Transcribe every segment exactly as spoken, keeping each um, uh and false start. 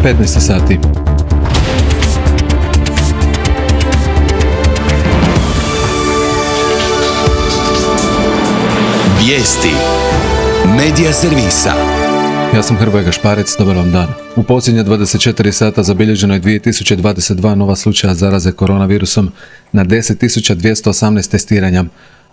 petnaest sati. Vijesti Medija servisa. Ja sam Hrvoje Gašparec, dobar vam dan. U posljednje dvadeset četiri sata zabilježeno je dvije tisuće dvadeset dva nova slučaja zaraze koronavirusom na deset tisuća dvjesto osamnaest testiranja.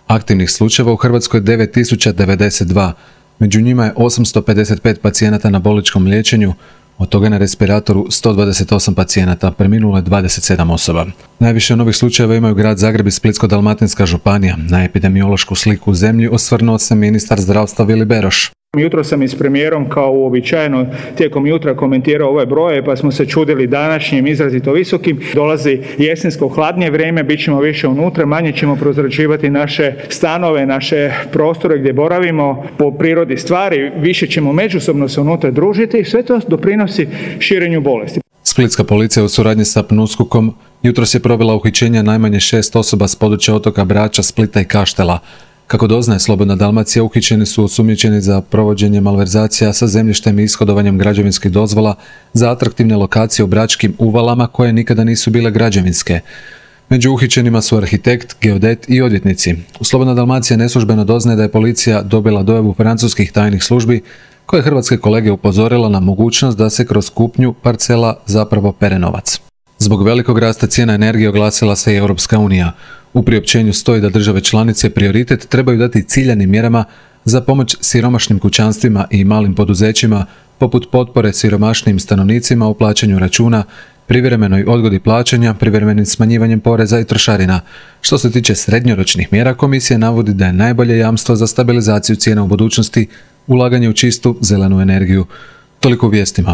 Aktivnih slučajeva u Hrvatskoj je devet tisuća devedeset dva. Među njima je osamsto pedeset pet pacijenata na bolničkom liječenju, od toga na respiratoru sto dvadeset osam pacijenata, preminulo je dvadeset sedam osoba. Najviše novih slučajeva imaju grad Zagreb i Splitsko-dalmatinska županija. Na epidemiološku sliku u zemlji osvrnuo se ministar zdravstva Vili Beroš. Jutro sam i s premijerom kao uobičajeno tijekom jutra komentirao ove broje, pa smo se čudili današnjim izrazito visokim. Dolazi jesensko hladnije vrijeme, bit ćemo više unutra, manje ćemo prozračivati naše stanove, naše prostore gdje boravimo po prirodi stvari, više ćemo međusobno se unutra družiti i sve to doprinosi širenju bolesti. Splitska policija u suradnji sa PNUSKOK-om jutros je provela uhićenja najmanje šest osoba s područja otoka Brača, Splita i Kaštela. Kako doznaje Slobodna Dalmacija, uhićeni su osumnjičeni za provođenje malverzacija sa zemljištem i ishodovanjem građevinskih dozvola za atraktivne lokacije u bračkim uvalama koje nikada nisu bile građevinske. Među uhićenima su arhitekt, geodet i odvjetnici. Slobodna Dalmacija neslužbeno doznaje da je policija dobila dojavu francuskih tajnih službi koje hrvatske kolege upozorila na mogućnost da se kroz kupnju parcela zapravo pere novac. Zbog velikog rasta cijena energije oglasila se i Europska unija. U priopćenju stoji da države članice prioritet trebaju dati ciljanim mjerama za pomoć siromašnim kućanstvima i malim poduzećima, poput potpore siromašnim stanovnicima u plaćanju računa, privremenoj odgodi plaćanja, privremenim smanjivanjem poreza i trošarina. Što se tiče srednjoročnih mjera, komisija navodi da je najbolje jamstvo za stabilizaciju cijena u budućnosti ulaganje u čistu zelenu energiju. Toliko u vijestima.